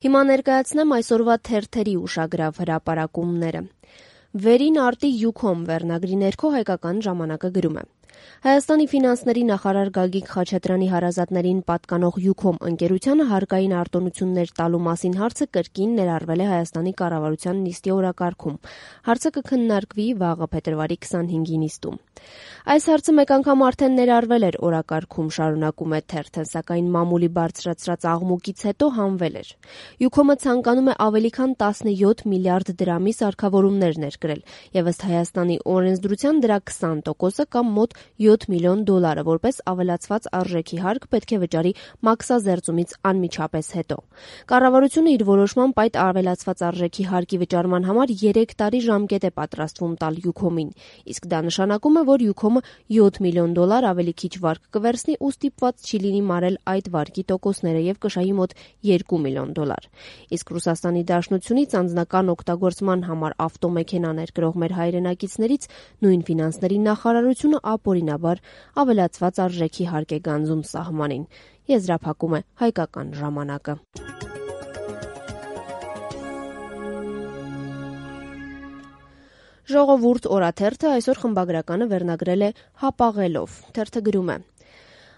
Հիմա ներկայացնեմ այսօրվա թերթերի ուշագրավ հրապարակումները։ Վերին արտի յուքոմ վերնագրի ներքո Հայկական ժամանակը գրում է. Հայաստանի ֆինանսների նախարար Գագիկ Խաչատրյանի հարազատներին պատկանող յուքոմ ընկերությանը հարկային արտոնություններ տալու մասին հարցը կրկին ներառվել է Հայաստանի կառավարության նիստի օրակարգում։ Հարցը կքննարկվի վաղը փետրվարի 25-ի նիստում։ Այս հարցը մեկ անգամ արդեն ներառվել էր օրակարգում, շարունակում է թերթը, սակայն մամուլի բարձրացրած աղմուկից հետո հանվել էր։ Յուքոմը ցանկանում է ավելի քան 17 միլիարդ դրամի սարքավորումներ ներկրել, եւ ըստ Հայաստանի օրենսդրության դրա 20%-ը կամ մոտ 7 միլիոն դոլարը որպես ավելացված արժեքի հարկ պետք է վճարի մաքսազերծումից անմիջապես հետո։ Կառավարությունը իր որոշմամբ այդ ավելացված արժեքի հարկի վճարման համար 3 տարի ժամկետ է պատրաստվում տալ յուքոմին, իսկ դա նշանակում է, որ յուքոմը 7 միլիոն դոլար ավելի քիչ վարկ կվերցնի ու ստիպված չի լինի մարել այդ վարկի տոկոսները եւ կշահի մոտ 2 միլիոն դոլար։ Իսկ Ռուսաստանի Դաշնությունից անձնական օգտագործման համար ավտոմեքենա ներկրող մեր հայրենակիցներից նույն ֆինանսների նախարարությունը ապօրինաբար ավելացված արժեքի հարկ է գանձում սահմանին, եզրափակում է Հայկական ժամանակը։ Ժողովուրդ օրաթերթը այսօր խմբագրականը վերնագրել է «Հապաղելով»։ Թերթը գրում է.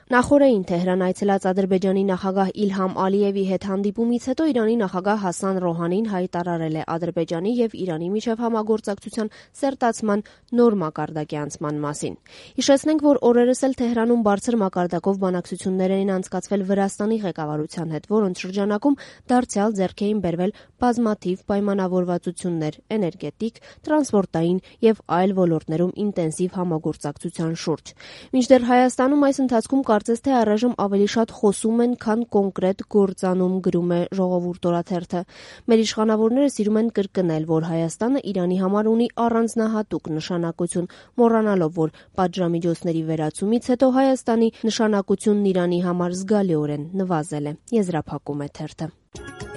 Նախորդին Թեհրան այցելած Ադրբեջանի նախագահ Իլհամ Ալիևի հետ հանդիպումից հետո Իրանի նախագահ Հասան Ռոհանին հայտարարել է Ադրբեջանի եւ Իրանի միջև համագործակցության սերտացման նոր մակարդակի անցման մասին։ Հիշեցնենք, որ օրերս էլ Թեհրանում բարձր մակարդակով բանակցություններ էին անցկացվել Վրաստանի ղեկավարության հետ, որոնց շրջանակում դարձյալ ձեռք էին բերվել բազմաթիվ պայմանավորվածություններ էներգետիկ, տրանսպորտային եւ այլ ոլորտներում ինտենսիվ համագործակցության շուրջ։ Մինչդեռ Հայաստանում այս ընթացքում կարծես թե առայժմ ավելի շատ խոսում են, քան կոնկրետ գործանում, գրում է Ժողովուրդ օրաթերթը։ Մեր իշխանավորները սիրում են կրկնել, որ Հայաստանը Իրանի համար ունի առանձնահատուկ նշանակություն, մոռանալով, որ պատժամիջոցների վերացումից հետո Հայաստանի նշանակությունն Իրանի համար զգալիորեն նվազել է, եզրափակում է թերթը։